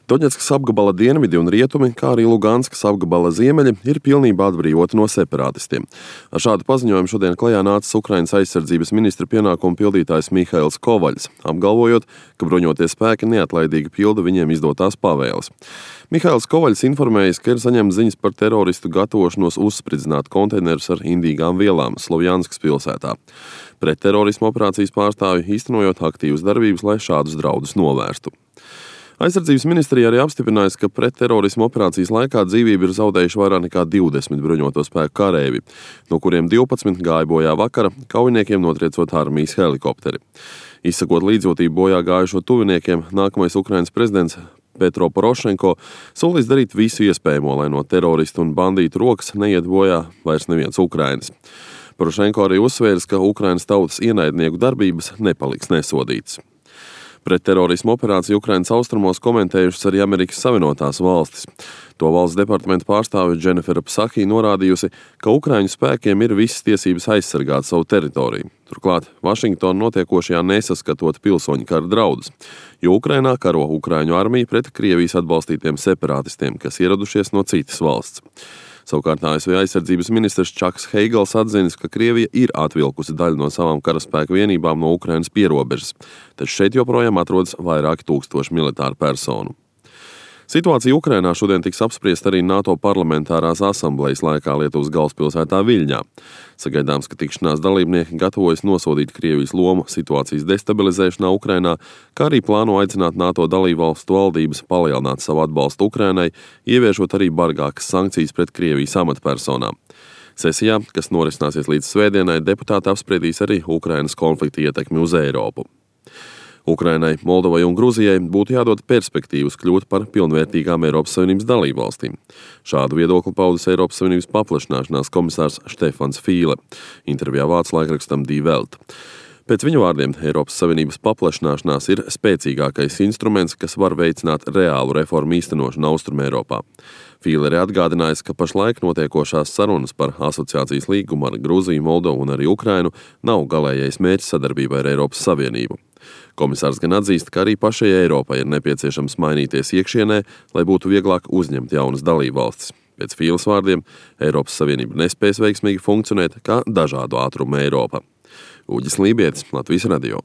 Doņetskas apgabala dienvidi un rietumi, kā arī Luganskas apgabala ziemeļi, ir pilnībā atbrīvoti no separatistiem. Ar šādu paziņojumu šodien klajā nācis Ukrainas aizsardzības ministra pienākumu pildītājs Mihails Kovaļs, apgalvojot, ka bruņotie spēki neatlaidīgi pilda viņiem izdotās pavēles. Mihails Kovaļs informējis, ka ir saņemts ziņas par teroristu gatavošanos uzspridzināt konteinerus ar indīgām vielām Slovjanskas pilsētā. Pretterorisma operācijas pārstāvji īstenojot aktīvas darbības, lai šādus draudus novērstu. Aizsardzības ministrija arī apstiprinājusi, ka pretterorisma operācijas laikā dzīvību ir zaudējuši vairāk nekā 20 bruņoto spēku karēvi, no kuriem 12 gāja bojā vakara, kaujiniekiem notriecot armijas helikopteri. Izsakot līdzjūtību bojā gājušo tuviniekiem, nākamais Ukrainas prezidents Petro Porošenko solīs darīt visu iespējamo, lai no teroristu un bandītu rokas neiet bojā vairs neviens Ukrainas. Porošenko arī uzsvērs, ka Ukrainas tautas ienaidnieku darbības nepaliks nesodītas. Pretterorisma operāciju Ukrainas austrumos komentējušas arī Amerikas Savienotās valstis. To valsts departamenta pārstāve Dženifera Psaki norādījusi, ka Ukraiņu spēkiem ir visas tiesības aizsargāt savu teritoriju. Turklāt Vašingtona notiekošajā nesaskatot pilsoņu kara draudus, jo Ukrainā karo Ukraiņu armija pret Krievijas atbalstītiem separatistiem, kas ieradušies no citas valsts. Savukārt ASV aizsardzības ministrs Čaks Heigls atzinis, ka Krievija ir atvilkusi daļu no savām karaspēku vienībām no Ukrainas pierobežas, taču šeit joprojām atrodas vairāki tūkstoši militāru personu. Situācija Ukrainā šodien tiks apspriest arī NATO parlamentārās asamblejas laikā Lietuvas galvaspilsētā Viļņā. Sagaidāms, ka tikšanās dalībnieki gatavojas nosodīt Krievijas lomu situācijas destabilizēšanā Ukrainā, kā arī plāno aicināt NATO dalībvalstu valdības palielināt savu atbalstu Ukrainai, ieviešot arī bargākas sankcijas pret Krievijas amatpersonām. Sesijā, kas norisināsies līdz svētdienai, deputāti apspriedīs arī Ukrainas konflikta ietekmi uz Eiropu. Ukrainai, Moldovai un Gruzijai būtu jādod perspektīvas kļūt par pilnvērtīgām Eiropas Savienības dalībvalstīm. Šādu viedokli paudis Eiropas Savienības paplašināšanās komisārs Štefans Fīle, intervijā vācu laikrakstam Die Welt. Pēc viņa vārdiem, Eiropas Savienības paplašināšanās ir spēcīgākais instruments, kas var veicināt reālu reformu īstenošanu Austrumeiropā. Fīle arī atgādinājis, ka pašlaik notiekošās sarunas par asociācijas līgumu ar Gruziju, Moldovu un arī Ukrainu nav galējais mērķis sadarbībai ar Eiropas Savienību. Komisārs gan atzīst, ka arī pašai Eiropai ir nepieciešams mainīties iekšienē, lai būtu vieglāk uzņemt jaunas dalībvalstis. Pēc Fīles vārdiem, Eiropas Savienība nespēs veiksmīgi funkcionēt kā dažādu ātrumu Eiropa. Uģis Lībietis, Latvijas radio.